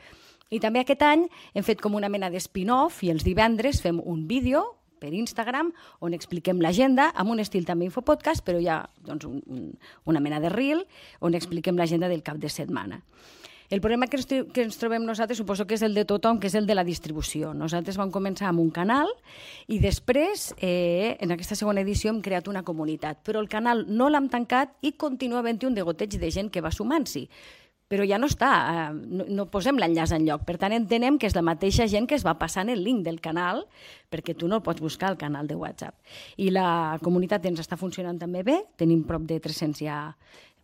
I també aquest any hem fet com una mena d'espin-off i els divendres fem un vídeo per Instagram on expliquem l'agenda amb un estil també Infopodcast, però hi ha doncs, un, un, una mena de reel on expliquem l'agenda del cap de setmana. El problema que ens, que ens trobem nosaltres suposo que és el de tothom, que és el de la distribució. Nosaltres vam començar amb un canal i després, eh, en aquesta segona edició, hem creat una comunitat. Però el canal no l'hem tancat i continua havent-hi un degoteig de gent que va sumant-s'hi. Però ja no està, no, no posem l'enllaç enlloc. Per tant, entenem que és la mateixa gent que es va passant el link del canal, perquè tu no el pots buscar al canal de WhatsApp. I la comunitat ens està funcionant també bé, tenim prop de tres-cents ja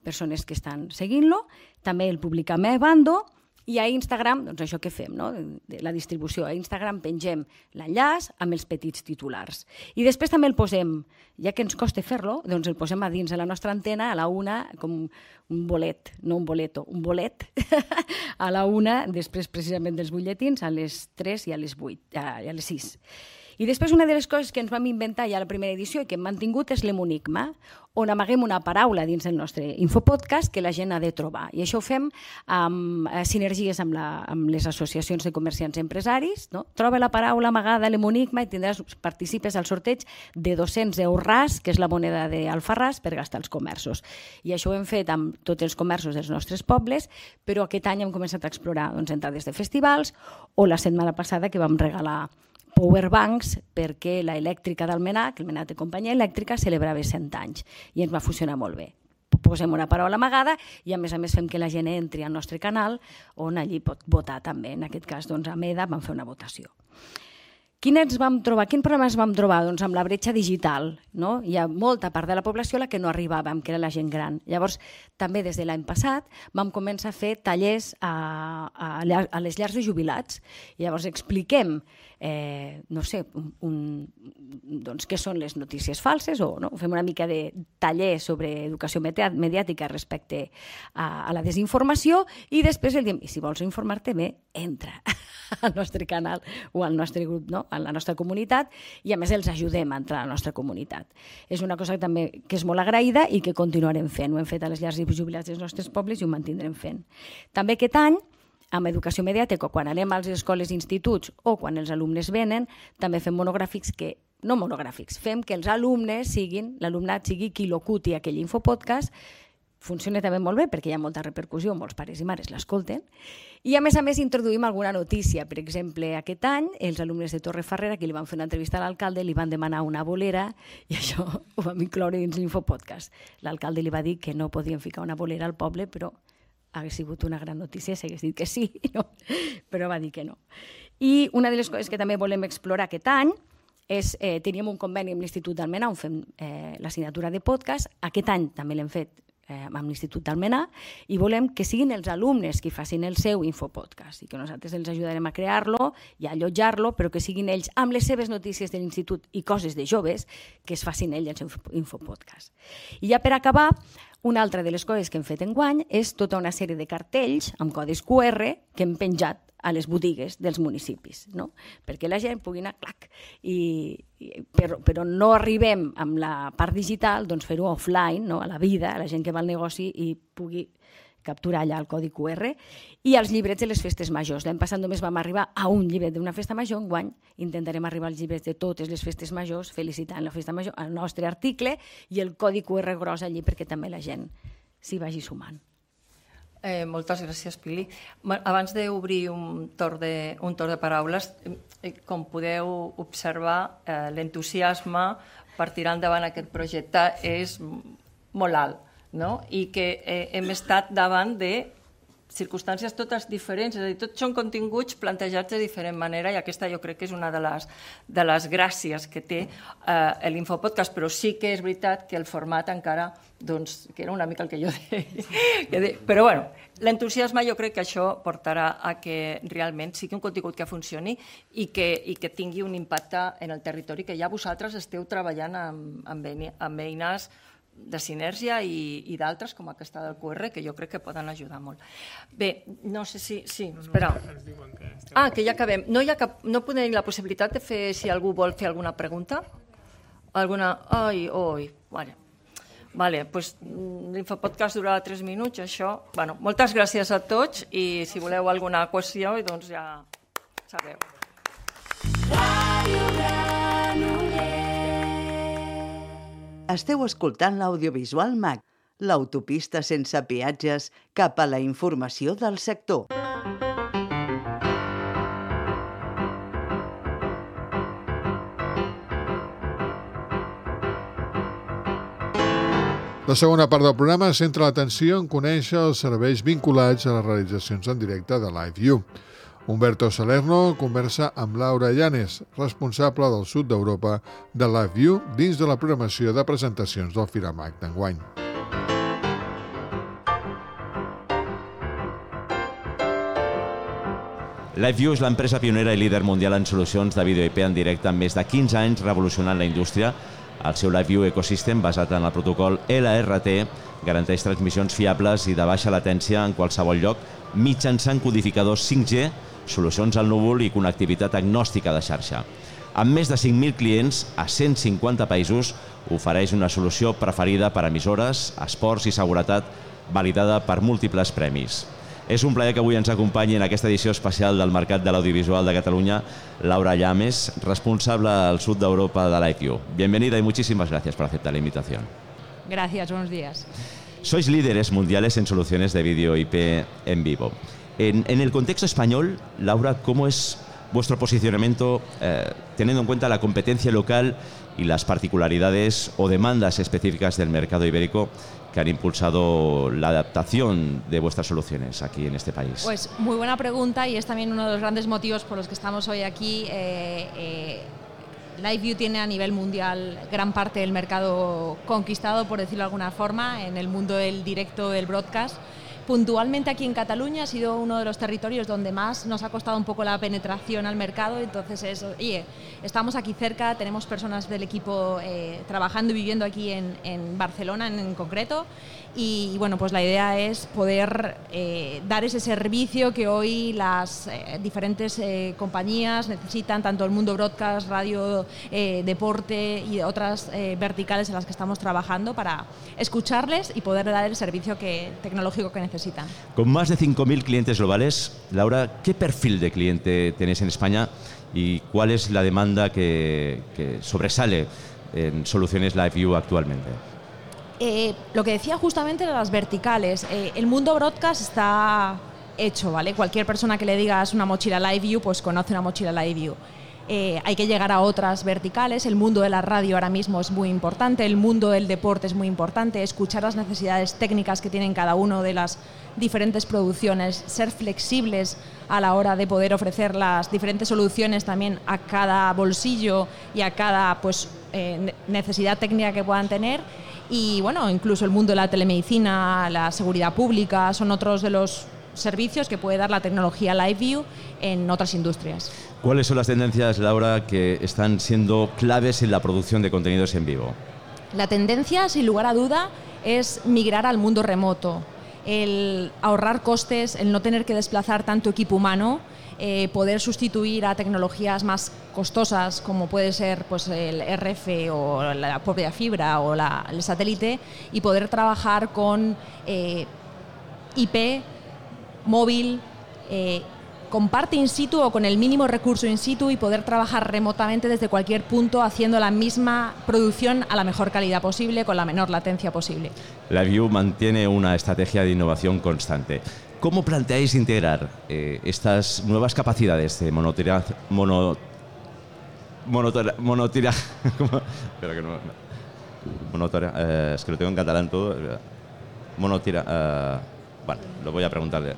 persones que estan seguint-lo, també el publicam a Bando, i a Instagram, doncs això que fem, no? De la distribució. A Instagram pengem l'enllaç amb els petits titulars. I després també el posem, ja que ens costa fer-lo, doncs el posem a dins de la nostra antena a la una, com un bolet, no un boleto, un bolet, a la una, després precisament dels butlletins, a les tres i a les vuit, i a les sis. I després una de les coses que ens vam inventar ja a la primera edició i que hem mantingut és l'hemonigma, on amaguem una paraula dins del nostre infopodcast que la gent ha de trobar. I això ho fem amb sinergies amb, la, amb les associacions de comerciants i empresaris. No? Troba la paraula amagada a l'hemonigma i tindràs, participes al sorteig de dos-cents euros, que és la moneda d'Alfarràs, per gastar als comerços. I això ho hem fet amb tots els comerços dels nostres pobles, però aquest any hem començat a explorar doncs, entrades de festivals o la setmana passada que vam regalar powerbanks perquè l'elèctrica d'Almenar, que Almenar té companyia elèctrica, celebrava cent anys i ens va funcionar molt bé. Posem una paraula amagada i a més a més fem que la gent entri al nostre canal on allí pot votar també. En aquest cas, doncs, a MEDA vam fer una votació. Quins vam trobar? Quin problema ens vam trobar? Doncs amb la bretxa digital. No? Hi ha molta part de la població a la que no arribàvem, que era la gent gran. Llavors, també des de l'any passat vam començar a fer tallers a, a, a les llars de jubilats. Llavors expliquem eh, no sé, un, un, doncs, què són les notícies falses, o no? Fem una mica de taller sobre educació mediàtica respecte a, a la desinformació i després el diem, i si vols informar-te bé, entra al nostre canal o al nostre grup, no? A la nostra comunitat, i a més els ajudem a entrar a la nostra comunitat. És una cosa que també que és molt agraïda i que continuarem fent. Ho hem fet a les llars de jubilats dels nostres pobles i ho mantindrem fent. També aquest any, amb educació mediàtica, quan anem a les escoles i instituts o quan els alumnes venen, també fem monogràfics que, no monogràfics, fem que els alumnes siguin, l'alumnat sigui qui locuti aquell infopodcast. Funciona també molt bé perquè hi ha molta repercussió, molts pares i mares l'escolten. I a més a més introduïm alguna notícia. Per exemple, aquest any els alumnes de Torrefarrera, que li van fer una entrevista a l'alcalde, li van demanar una bolera i això ho vam incloure dins l'infopodcast. L'alcalde li va dir que no podien ficar una bolera al poble, però hagués sigut una gran notícia si hagués dit que sí, no? Però va dir que no. I una de les coses que també volem explorar aquest any és, eh, teníem un conveni amb l'Institut d'Almenar on fem eh, l'assignatura de podcast. Aquest any també l'hem fet eh, amb l'Institut d'Almenar i volem que siguin els alumnes qui facin el seu infopodcast i que nosaltres els ajudarem a crear-lo i a allotjar-lo, però que siguin ells amb les seves notícies de l'Institut i coses de joves que es facin ells el seu infopodcast. I ja per acabar, una altra de les coses que hem fet enguany és tota una sèrie de cartells amb codis cu erre que hem penjat a les botigues dels municipis, no? Perquè la gent pugui anar, clac, i, i, però, però no arribem amb la part digital, doncs fer-ho offline, no? A la vida, a la gent que va al negoci i pugui capturar allà el codi cu erre, i als llibrets de les festes majors. L'any passat només vam arribar a un llibret d'una festa major, enguany intentarem arribar als llibrets de totes les festes majors, felicitant la festa major, el nostre article i el codi cu erre gros allí perquè també la gent s'hi vagi sumant. Eh, moltes gràcies, Pili. Abans d'obrir un torn de, un torn de paraules, eh, com podeu observar, eh, l'entusiasme per tirar endavant aquest projecte és molt alt, no? I que eh, hem estat davant de circumstàncies totes diferents, és a dir, tots són continguts plantejats de diferent manera i aquesta jo crec que és una de les, de les gràcies que té eh, l'infopodcast, però sí que és veritat que el format encara, doncs, que era una mica el que jo deia. Però bueno, l'entusiasme jo crec que això portarà a que realment sigui un contingut que funcioni i que, i que tingui un impacte en el territori, que ja vosaltres esteu treballant amb, amb, amb eines de sinergia i, i d'altres, com aquesta del cu erre, que jo crec que poden ajudar molt. Bé, no sé si... Sí, espera. Ah, que ja acabem. No hi ha cap, no podem la possibilitat de fer, si algú vol fer alguna pregunta? Alguna... Ai, oi, vale. Vale, doncs l'infopodcast durarà tres minuts, això... Bueno, moltes gràcies a tots i si voleu alguna qüestió, doncs ja sabeu. Ràdio Granollers. Esteu escoltant l'audiovisual MAC, l'autopista sense peatges cap a la informació del sector. La segona part del programa centra l'atenció en conèixer els serveis vinculats a les realitzacions en directe de LiveView. Humberto Salerno conversa amb Laura Llanes, responsable del sud d'Europa de LiveView dins de la programació de presentacions del Firamac d'enguany. LiveView és l'empresa pionera i líder mundial en solucions de vídeo I P en directe amb més de quinze anys revolucionant la indústria. El seu LiveView Ecosystem, basat en el protocol L R T, garanteix transmissions fiables i de baixa latència en qualsevol lloc mitjançant codificadors cinc G, solucions al núvol i connectivitat agnòstica de xarxa. Amb més de cinc mil clients a cent cinquanta països, ofereix una solució preferida per a emissores, esports i seguretat, validada per múltiples premis. És un plaer que avui ens acompanyi en aquesta edició especial del Mercat de l'Audiovisual de Cataluña Laura Llames, responsable al sud de Europa de LiveView. Bienvenida y muchísimas gracias por aceptar la invitación. Gracias, buenos días. Sois líderes mundiales en soluciones de vídeo I P en vivo. En, en el contexto español, Laura, ¿cómo es vuestro posicionamiento eh, teniendo en cuenta la competencia local y las particularidades o demandas específicas del mercado ibérico que han impulsado la adaptación de vuestras soluciones aquí en este país? Pues muy buena pregunta, y es también uno de los grandes motivos por los que estamos hoy aquí. Eh, eh, LiveView tiene a nivel mundial gran parte del mercado conquistado, por decirlo de alguna forma, en el mundo del directo, del broadcast. Puntualmente aquí en Cataluña ha sido uno de los territorios donde más nos ha costado un poco la penetración al mercado. Entonces es, oye, estamos aquí cerca, tenemos personas del equipo eh, trabajando y viviendo aquí en, en Barcelona en, en concreto, y, y bueno, pues la idea es poder eh, dar ese servicio que hoy las eh, diferentes eh, compañías necesitan, tanto el mundo broadcast, radio, eh, deporte y otras eh, verticales en las que estamos trabajando, para escucharles y poder dar el servicio que, tecnológico que necesitan. Con más de cinco mil clientes globales, Laura, ¿qué perfil de cliente tenéis en España y cuál es la demanda que, que sobresale en soluciones LiveView actualmente? Eh, lo que decía justamente de las verticales, eh, el mundo broadcast está hecho, ¿vale? Cualquier persona que le digas una mochila LiveView, pues conoce una mochila LiveView. Eh, hay que llegar a otras verticales. El mundo de la radio ahora mismo es muy importante, el mundo del deporte es muy importante, escuchar las necesidades técnicas que tienen cada uno de las diferentes producciones, ser flexibles a la hora de poder ofrecer las diferentes soluciones también a cada bolsillo y a cada pues, eh, necesidad técnica que puedan tener. Y bueno, incluso el mundo de la telemedicina, la seguridad pública, son otros de los servicios que puede dar la tecnología LiveView en otras industrias. ¿Cuáles son las tendencias, Laura, que están siendo claves en la producción de contenidos en vivo? La tendencia, sin lugar a duda, es migrar al mundo remoto, el ahorrar costes, el no tener que desplazar tanto equipo humano, eh, poder sustituir a tecnologías más costosas como puede ser pues, el R F o la propia fibra o la, el satélite, y poder trabajar con eh, I P móvil, eh, con parte in situ o con el mínimo recurso in situ, y poder trabajar remotamente desde cualquier punto haciendo la misma producción a la mejor calidad posible, con la menor latencia posible. LiveView mantiene una estrategia de innovación constante. ¿Cómo planteáis integrar eh, estas nuevas capacidades de monotira, mono, monotira, monotira, espera que no, monotira, eh, es que lo tengo en catalán todo, monotira, eh, bueno, lo voy a preguntarle.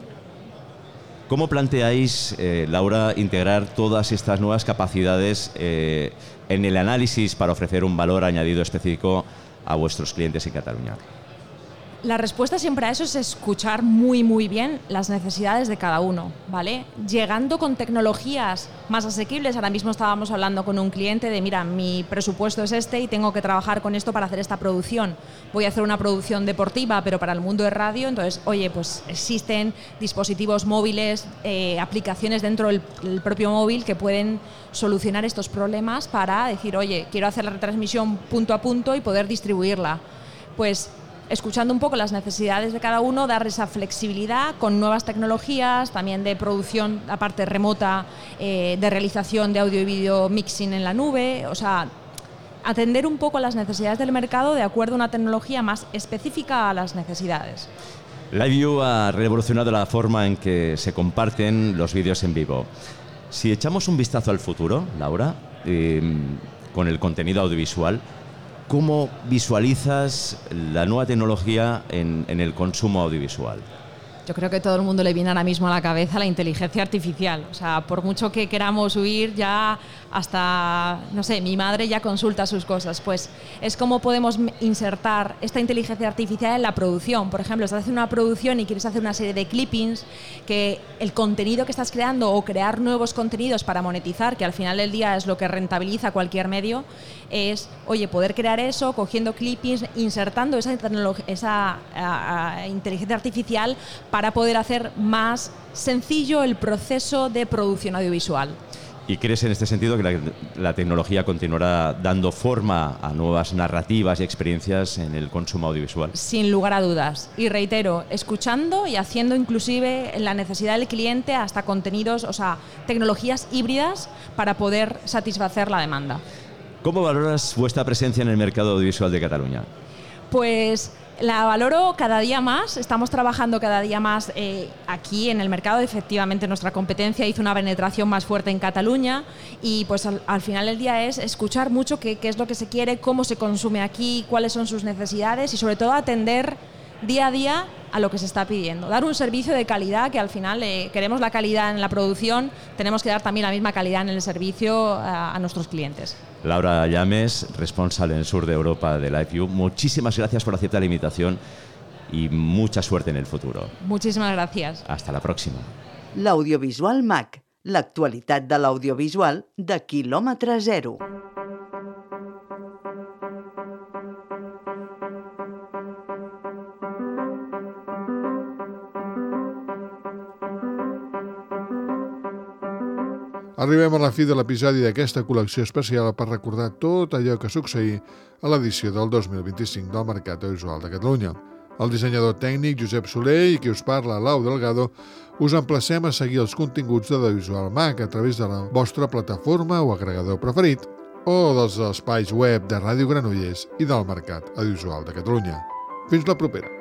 ¿Cómo planteáis, eh, Laura, integrar todas estas nuevas capacidades eh, en el análisis para ofrecer un valor añadido específico a vuestros clientes en Cataluña? La respuesta siempre a eso es escuchar muy muy bien las necesidades de cada uno, ¿vale? Llegando con tecnologías más asequibles. Ahora mismo estábamos hablando con un cliente de, mira, mi presupuesto es este y tengo que trabajar con esto para hacer esta producción. Voy a hacer una producción deportiva, pero para el mundo de radio. Entonces, oye, pues existen dispositivos móviles, eh, aplicaciones dentro del, del propio móvil que pueden solucionar estos problemas para decir, oye, quiero hacer la retransmisión punto a punto y poder distribuirla. Pues escuchando un poco las necesidades de cada uno, dar esa flexibilidad con nuevas tecnologías, también de producción, aparte remota, eh, de realización de audio y vídeo mixing en la nube, o sea, atender un poco las necesidades del mercado de acuerdo a una tecnología más específica a las necesidades. LiveView ha revolucionado la forma en que se comparten los vídeos en vivo. Si echamos un vistazo al futuro, Laura, eh, con el contenido audiovisual, ¿cómo visualizas la nueva tecnología en, en el consumo audiovisual? Yo creo que todo el mundo le viene ahora mismo a la cabeza la inteligencia artificial. O sea, por mucho que queramos huir, ya hasta, no sé, mi madre ya consulta sus cosas. Pues es como podemos insertar esta inteligencia artificial en la producción. Por ejemplo, estás haciendo una producción y quieres hacer una serie de clippings, que el contenido que estás creando o crear nuevos contenidos para monetizar, que al final del día es lo que rentabiliza cualquier medio, es, oye, poder crear eso, cogiendo clippings, insertando esa, esa a, a, inteligencia artificial para poder hacer más sencillo el proceso de producción audiovisual. ¿Y crees en este sentido que la, la tecnología continuará dando forma a nuevas narrativas y experiencias en el consumo audiovisual? Sin lugar a dudas. Y reitero, escuchando y haciendo inclusive la necesidad del cliente hasta contenidos, o sea, tecnologías híbridas para poder satisfacer la demanda. ¿Cómo valoras vuestra presencia en el mercado audiovisual de Cataluña? Pues la valoro cada día más, estamos trabajando cada día más eh, aquí en el mercado. Efectivamente, nuestra competencia hizo una penetración más fuerte en Cataluña y pues al, al final del día es escuchar mucho qué, qué es lo que se quiere, cómo se consume aquí, cuáles son sus necesidades y sobre todo atender día a día a lo que se está pidiendo. Dar un servicio de calidad, que al final eh, queremos la calidad en la producción, tenemos que dar también la misma calidad en el servicio a, a nuestros clientes. Laura Llames, responsable en el sur de Europa de LiveView, muchísimas gracias por aceptar la invitación y mucha suerte en el futuro. Muchísimas gracias. Hasta la próxima. L'Audiovisual Mac, l'actualitat de l'audiovisual de quilòmetre zero. Arribem a la fi de l'episodi d'aquesta col·lecció especial per recordar tot allò que succeí a l'edició del dos mil vint-i-cinc del Mercat Audiovisual de Catalunya. El dissenyador tècnic Josep Soler i qui us parla, Lau Delgado, us emplacem a seguir els continguts de l'Audiovisual Mac a través de la vostra plataforma o agregador preferit o dels espais web de Ràdio Granollers i del Mercat Audiovisual de Catalunya. Fins la propera.